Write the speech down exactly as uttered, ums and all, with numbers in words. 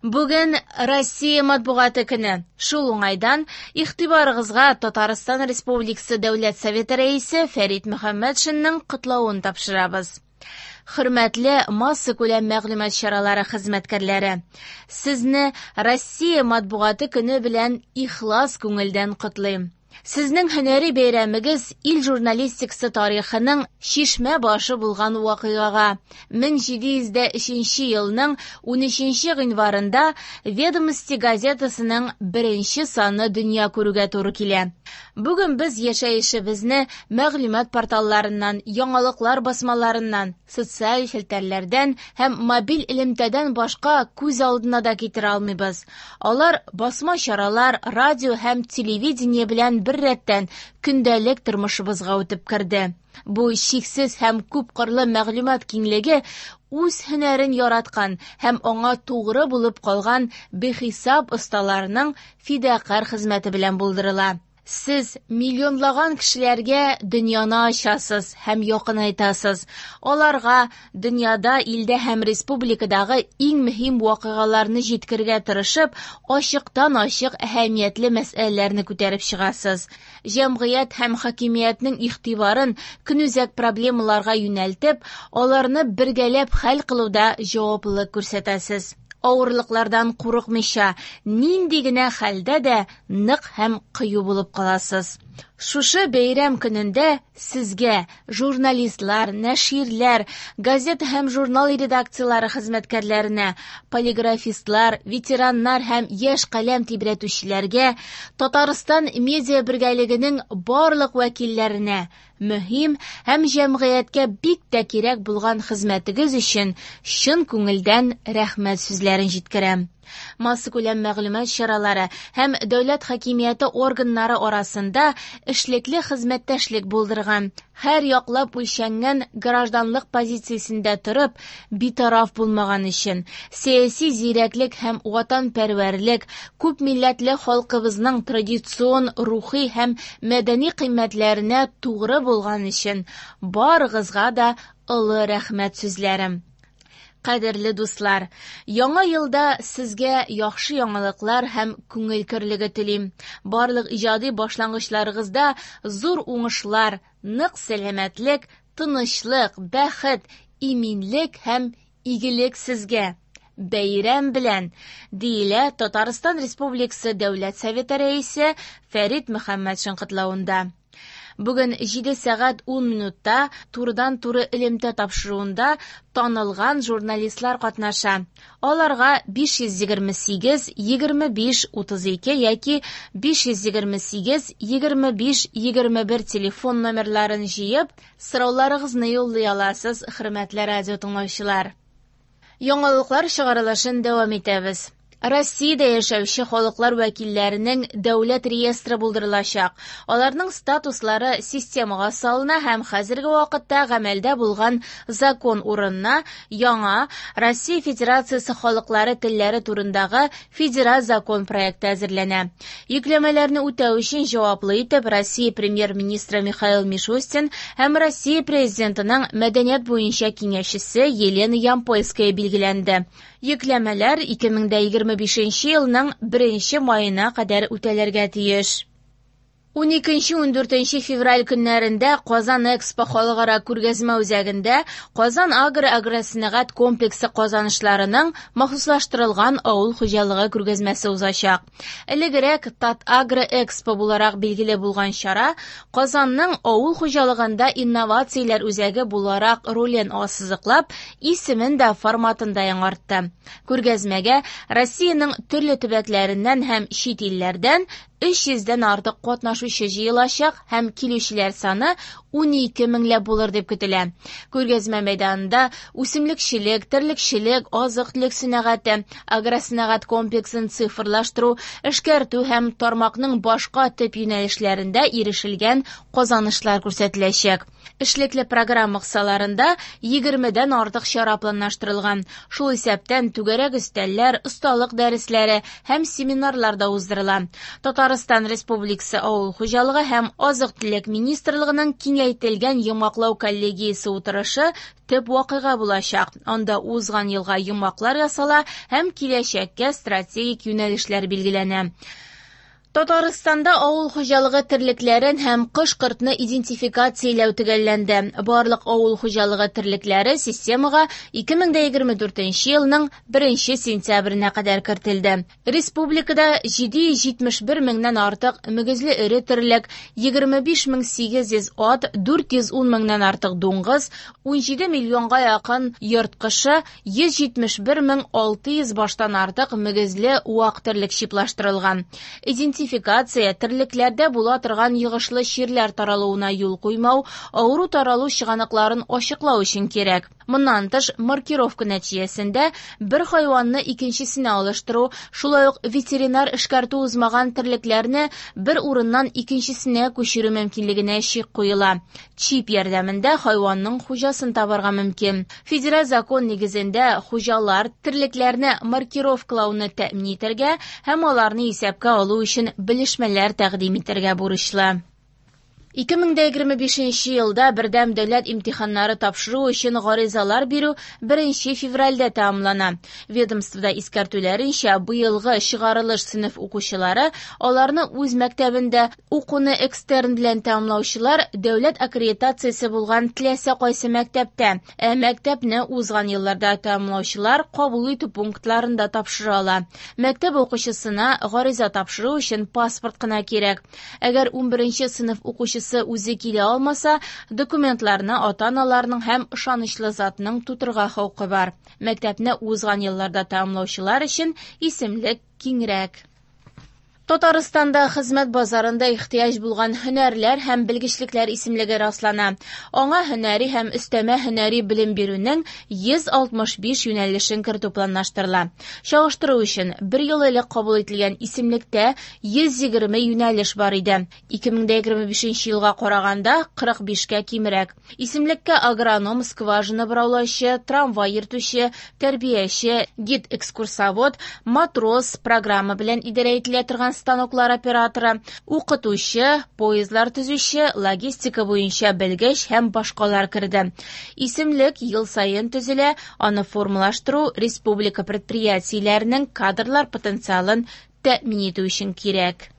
Бүген Россия матбугаты көне. Шул уңайдан игътибарыгызга Татарстан Республикасы Дәүләт Советы рәисе Фәрит Мөхәммәтшинның котлавын тапшырабыз. Хөрмәтле массакүләм мәгълүмат чаралары хезмәткәрләре, сезне Россия матбугаты көне белән ихлас күңелдән котлыйм. Сезнең һөнәри бәйрәмегез ил журналистикасы тарихының чишмә башы булган вакыйгага мең җиде йөз дә өченче елның унөченче гыйнварында «Ведомости» газетасының беренче саны дөнья күрүгә туры килә. Бүген без яшәешебезне мәгълүмат порталларыннан, яңалыклар басмаларыннан, социаль челтәрләрдән һәм мобиль элемтәдән башка күз алдына да китерә алмыйбыз. Алар басма чаралар, радио һәм телевидение белән бер рәттән көндәлек тормышыбызга үтеп керде. Бу чиксез һәм күпкырлы мәгълүмат киңлеге үз һөнәрен яраткан һәм аңа тугры булып калган бихисап осталарның фидакарь хезмәте белән булдырыла. Сез миллионлаган кешеләргә дөньяны ачасыз һәм якынайтасыз. Аларга дөньяда, илдә һәм республикадагы иң мөһим вакыйгаларны җиткерергә тырышып, ачыктан-ачык әһәмиятле мәсьәләләрне күтәреп чыгасыз. Җәмгыять һәм хакимиятнең игътибарын көнүзәк проблемаларга юнәлтеп, аларны бергәләп хәл кылуда җаваплылык күрсәтәсез. Авырлыклардан курыкмыйча, нинди генә хәлдә дә нык һәм кыю булып каласыз. Шушы бәйрәм көнендә сезгә журналистлар, нәширләр, газета һәм журнал редакцияләре хезмәткәрләренә, полиграфистлар, ветераннар һәм яшь каләм тибрәтүчеләргә, Татарстан медиа бергәлегенең барлык вәкилләренә мөһим һәм җәмгыятькә бик тә кирәк булган хезмәтегез өчен чын күңелдән рәхмәт сүзләрен җиткерәм. Массакүләм мәгълүмат чаралары һәм дәүләт хакимияте органнары арасында эшлекле хезмәттәшлек булдырган, һәр яклап үлчәнгән гражданлык позициясендә торып, битараф булмаган өчен, сәяси зирәклек һәм ватанпәрвәрлек, күп милләтле халкыбызның традицион рухи һәм мәдәни кыйммәтләренә тугры булган өчен барыгызга да олы рәхмәт сүзләрем. Кадерле дуслар, яңа елда сезгә яхшы яңалыклар һәм күңел көрлеге телим. Барлык иҗади башлангычларыгызда зур уңышлар, нык сәламәтлек, тынычлык, бәхет, иминлек һәм игелек сезгә. Бәйрәм белән, диелә Татарстан Республикасы Дәүләт Советы рәисе Фәрит Мөхәммәтшин котлавында. Бүген җиде сәгать ун минутта турыдан-туры элемтә тапшыруында танылган журналистлар катнаша. Аларга биш йөз егерме сигез, егерме биш, утыз ике яки биш йөз егерме сигез, егерме биш, егерме бер телефон номерларын җыеп, сорауларыгызны юллый аласыз, хөрмәтле радио тыңлаучылар. Яңалыклар чыгарылышын дәвам итәбез. Россиядә яшәүче халыклар вәкилләренең дәүләт реестры булдырылачак. Аларның статуслары системага салына һәм хәзерге вакытта гамәлдә булган закон урынына яңа Россия Федерациясе халыклары телләре турындагы федераль закон проекты әзерләнә. Йөкләмәләрне үтәү өчен җаваплы итеп Россия премьер-министры Михаил Мишустин һәм Россия президентының мәдәният буенча киңәшчесе Елена Ямпольская билгеләнде. Йөкләмәләр ике мең дә егерме бишенче елның беренче маена кадәр үтәлергә тиеш. Уникенче ундүртенче февраль көннәрендә Казан Экспо халыкара күргәзмә үзәгендә Казан Агро агросәнәгать комплексы казанышларының махсуслаштырылган авыл хуҗалыгы күргәзмәсе узачак. Элегрәк Татагро Экспо буларак билгеле булган чара Казанның авыл хуҗалыгында инновацияләр үзәге буларак ролен ассызыклап, исемен дә форматын да яңартты. Күргәзмәгә Россиянең төрле төбәкләреннән һәм чит илләрдән өч йөздән артык катнашучы җыелачак һәм килүчеләр саны унике меңләп булыр дип көтелә. Күргәзмә мәйданында үсемлекчелек, терлекчелек, азык-төлек сәнәгате, агросәнәгать комплексын цифрлаштыру, эшкәртү һәм тармакның башка төп юнәлешләрендә ирешелгән казанышлар күрсәтеләчәк. Эшлекле программа кысаларында егермедән артык чара планлаштырылган. Шул исәптән түгәрәк өстәлләр, осталык дәресләре һәм семинарлар да уздырыла. Татарстан Республикасы Авыл хуҗалыгы һәм азык-төлек министрлыгының киңәш Киңәйтелгән йомгаклау коллегиясе утырышы төп вакыйга булачак. Анда узган елга йомгаклар ясала һәм киләчәккә стратегик юнәлешләр билгеләнә. Татарстанда авыл хуҗалыгы терлекләрен һәм кош-кортны идентификацияләү төгәлләнде. Барлык авыл хуҗалыгы терлекләре системага ике мең дә егерме дүртенче елның беренче сентябренә кадәр кертелде. Республикада җиде йөз җитмеш бер меңнән артык мөгезле эре терлек, егерме биш мең сигез йөз ат, дүрт йөз ун меңнән артык дуңгыз, унҗиде миллионга якын йорт кошы, йөз җитмеш бер мең алты йөз баштан артык мөгезле вак терлек чиплаштырылган. Идентификация терлекләрдә була торган йогышлы чирләр таралуына юл куймау, авыру таралу чыганакларын ачыклау өчен кирәк. Моннан тыш, маркировка нәтиҗәсендә бер хайванны икенчесенә алыштыру, шулай ук ветеринар эшкәртү узмаган терлекләрне бер урыннан икенчесенә күчерү мөмкинлегенә чик куела. Чип ярдәмендә хайванның хуҗасын табарга мөмкин. Федераль закон нигезендә хуҗалар терлекләрне маркировкалауны тәэмин итәргә һәм аларны исәпкә алу өчен белешмәләр тәкъдим итәргә бурычлы. Ике мең дә егерме бишенче елда бердәм дәүләт имтиханнары тапшыру өчен гаризалар бирү беренче февральдә тәмамлана. Ведомствода искәртүләренчә, быелгы чыгарылыш сыйныф укучылары аларны үз мәктәбендә укуны экстерн белән тәмамлаучылар дәүләт аккредитациясе булган теләсә кайсы мәктәптә, ә мәктәпне узган елларда тәмамлаучылар кабул итү пунктларында тапшыра ала. Мәктәп укучысына гариза тапшыру өчен паспорт кына кирәк. Әгәр унберенче сыйныф укучысы үзе килә алмаса, документларны ата-аналарның һәм ышанычлы затның тутырга хокукы бар. Мәктәпне узган елларда тәмамлаучылар өчен исемлек киңрәк. Татарстанда хезмәт базарында ихтыяҗ булган һөнәрләр һәм белгечлекләр исемлеге раслана. Аңа һөнәри һәм өстәмә һөнәри белем бирүнең йөз алтмыш биш юнәлешен кертү планлаштырыла. Чагыштыру өчен бер ел элек кабул ителгән исемлектә йөз егерме юнәлеш бар иде. Ике мең дә егерме бишенче елга караганда кырык бишкә кимрәк. Исемлеккә агроном, скважина бораулаучы, трамвай йөртүче, тәрбияче, гид-экскурсовод, матрос, программа белән идарә ителә торган станоклар операторы, укытучы, поездлар төзүче, логистика буенча белгеч һәм башкалар керде. Исемлек ел саен төзелә, аны формалаштыру республика предприятиеләренең кадрлар потенциалын тәэмин итү өчен кирәк.